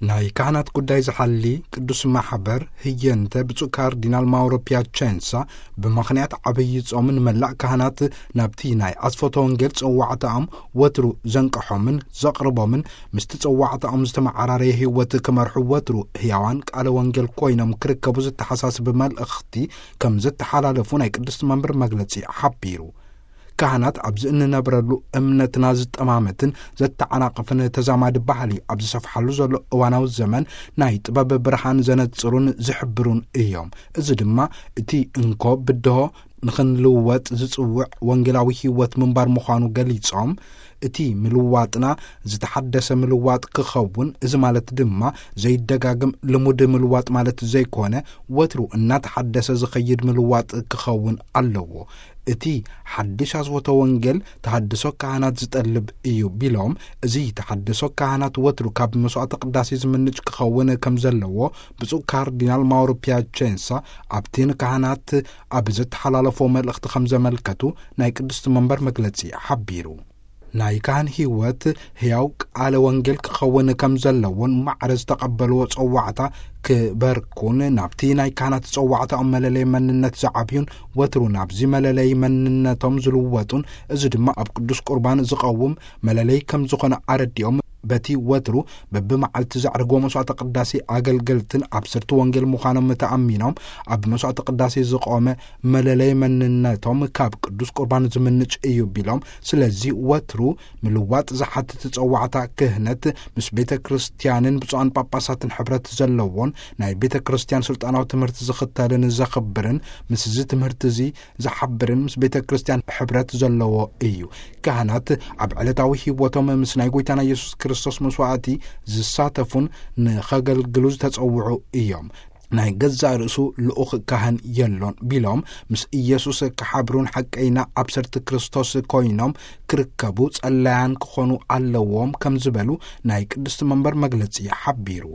ናይ ካህናት ጉዳይ ዝሓሊ ቅዱስ ማሕበር ህየንተ ብፁዕ ካርዲናል ማውሮ ፒያቸንሳ፣ ብምኽንያት ዓብዪ ጾም ንመላእ ካህናት ናብቲ ናይ ኣስፈቶ ወንጌል ጸዋዕታኦም ወትሩ ዘንቀሖምን ዘቕርቦምን፣ ምስቲ ጸዋዕታኦም ዝተመዓራረየ ህይወት ክመርሑ ወትሩ ህያዋን ቃለ ወንጌል ኮይኖም ክርከቡ ዝተሓሳስብ መልእኽቲ ከም ዝተሓላለፉ ናይ ቅድስቲ መንበር መግለጺ ሓቢሩ። ካህናት ኣብዚ እንነብረሉ እምነትና ዝጠማመትን ዘተዓናቕፍን ተዛማዲ ባህሊ ኣብ ዝሰፍሓሉ ዘሎ እዋናዊ ዘመን፣ ናይ ጥበብ ብርሃን ዘነጽሩን ዝሕብሩን እዮም። እዚ ድማ እቲ እንኮ ብድሆ ንኽንልወጥ ዝጽውዕ ወንጌላዊ ህይወት ምንባር ምዃኑ ገሊጾም፣ እቲ ምልዋጥና ዝተሓደሰ ምልዋጥ ክኸውን፣ እዚ ማለት ድማ ዘይደጋግም ልሙድ ምልዋጥ ማለት ዘይኮነ፣ ወትሩ እናተሓደሰ ዝኸይድ ምልዋጥ ክኸውን ኣለዎ። እቲ ሓድሽ ኣስወቶ ወንጌል ተሃድሶ ካህናት ዝጠልብ እዩ ቢሎም፣ እዚ ተሃድሶ ካህናት ወትሩ ካብ መስዋዕተ ቅዳሴ ዝምንጭ ክኸውን ከም ዘለዎ ብፁዕ ካርዲናል ማውሮ ፒያቸንሳ ኣብቲ ንካህናት ኣብ ዘተሓላለፎ መልእኽቲ ከም ዘመልከቱ ናይ ቅድስቲ መንበር መግለጺ ሓቢሩ። ናይ ካህን ህይወት ሕያው ቃለ ወንጌል ክኸውን ከም ዘለዎን ማዕረ ዝተቐበልዎ ጸዋዕታ ክበርኩን ናብቲ ናይ ካህናት ጸዋዕታኦም መለለይ መንነት ዝዓብዩን ወትሩ ናብዚ መለለይ መንነቶም ዝልወጡን፣ እዚ ድማ ኣብ ቅዱስ ቁርባን ዝቐውም መለለይ ከም ዝኾነ ኣረዲኦም፣ በቲ ወትሩ በብመዓልቲ ዘዕርጎ መስዋዕተ ቅዳሴ ኣገልገልትን ኣብሰርቲ ወንጌል ምዃኖም ተኣሚኖም፣ ኣብ መስዋዕተ ቅዳሴ ዝቆመ መለለይ መንነቶም ካብ ቅዱስ ቁርባን ዝምንጭ እዩ ቢሎም፣ ስለዚ ወትሩ ምልዋጥ ዝሓትት ጸዋዕታ ክህነት ምስ ቤተ ክርስቲያንን ብፁዓን ጳጳሳትን ሕብረት ዘለዎን ናይ ቤተ ክርስቲያን ስልጣናዊ ትምህርቲ ዝኽተልን ዘኽብርን፣ ምስዚ ትምህርቲ እዚ ዝሓብርን ምስ ቤተ ክርስቲያን ሕብረት ዘለዎ እዩ። ካህናት ኣብ ዕለታዊ ህይወቶም ምስ ናይ ጎይታና ኢየሱስ ክርስቶስ መስዋዕቲ ዝሳተፉን ንኸገልግሉ ዝተጸውዑ እዮም። ናይ ገዛእ ርእሱ ልኡኽ ካህን የሎን ቢሎም፣ ምስ ኢየሱስ ክሓብሩን ሓቀይና ኣብሰርቲ ክርስቶስ ኮይኖም ክርከቡ ጸላያን ክኾኑ ኣለዎም ከም ዝበሉ ናይ ቅድስቲ መንበር መግለጺ ሓቢሩ።